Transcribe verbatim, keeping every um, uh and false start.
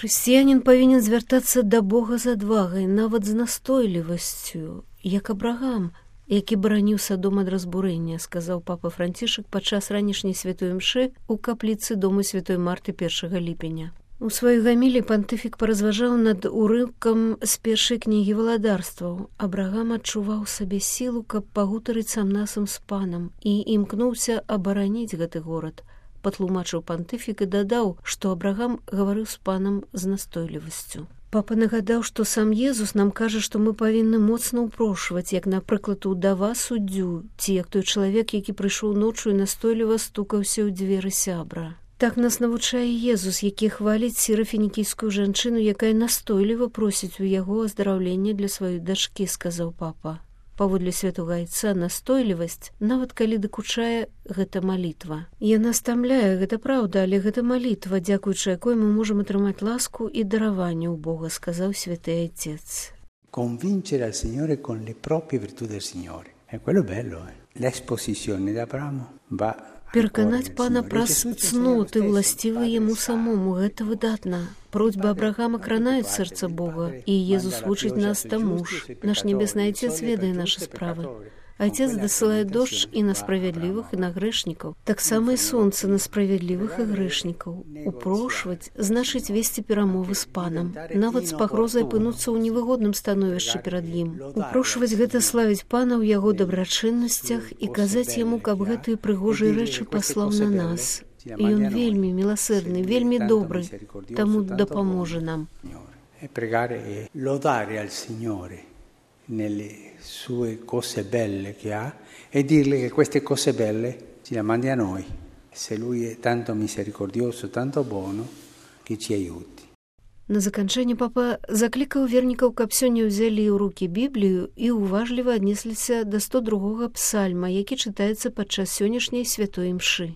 Хрысціянін павінен звяртацца да Бога з адвагай, нават з настойлівасцю, як Абрагам, які бараніў Садом ад разбурэння, сказаў папа Францішак падчас ранішняй святой імшы ў капліцы дому святой Марты першага ліпеня. У сваёй гамілі пантыфік паразважаў над урыўкам з першай кнігі валадарстваў. Абрагам адчуваў сабе сілу, каб пагутарыць сам-насам з панам і імкнуўся абараніць гэты горад. Патлумачыў пантыфік і дадаў, што Абрагам гаварыў з панам з настойлівасцю. Папа нагадаў, што сам Езус нам кажа, што мы павінны моцна ўпрошваць, як, напрыклад, удава суддзю, ці як той чалавек, які прыйшоў ноччу і настойліва стукаўся ў дзверы сябра. Так нас навучае Езус, які хваліць сірафінікійскую жанчыну, якая настойліва просіць у яго аздараўлення для сваёй дачкі, сказаў папа. Паводле святога айца настойлівасць, нават калі дакучае, гэта малітва. Яна стамляе, гэта праўда, але гэта малітва, дзякуючы якой мы можам атрымаць ласку і дараванне ў Бога, сказаў святы айцец. Convincere al Signore con le proprie virtù del Signore. E quello è bello, eh? L'esposizione di Abramo va Пераканаць пана праз цноты, уласцівыя яму самому, гэта выдатна. Просьбы Абрагама кранаюць сэрца Бога, і Езус вучыць нас таму ж. Наш небесны айцец ведае нашы справы. Айцец дасылае дождж і на справядлівых, і на грэшнікаў. Таксама і сонца на справядлівых і грэшнікаў. Упрошваць значыць весці перамовы з панам, нават з пагрозай апынуцца ў невыгодным становішчы перад ім. Упрошваць гэта славіць пана ў яго дабрачыннасцях і казаць яму, каб гэтыя прыгожыя рэчы паслаў на нас. І ён вельмі міласэрны, вельмі добры, таму дапаможа нам. Nelle sue cose belle che ha e dirle che queste cose belle ci le mandi a noi. Se lui è tanto misericordioso, tanto buono, che ci aiuti. На заканчэнне папа заклікаў вернікаў, каб сёння ўзялі ў рукі Біблію і уважліва аднесліся да сто другога псальма, які чытаецца падчас сённяшняй святой імшы.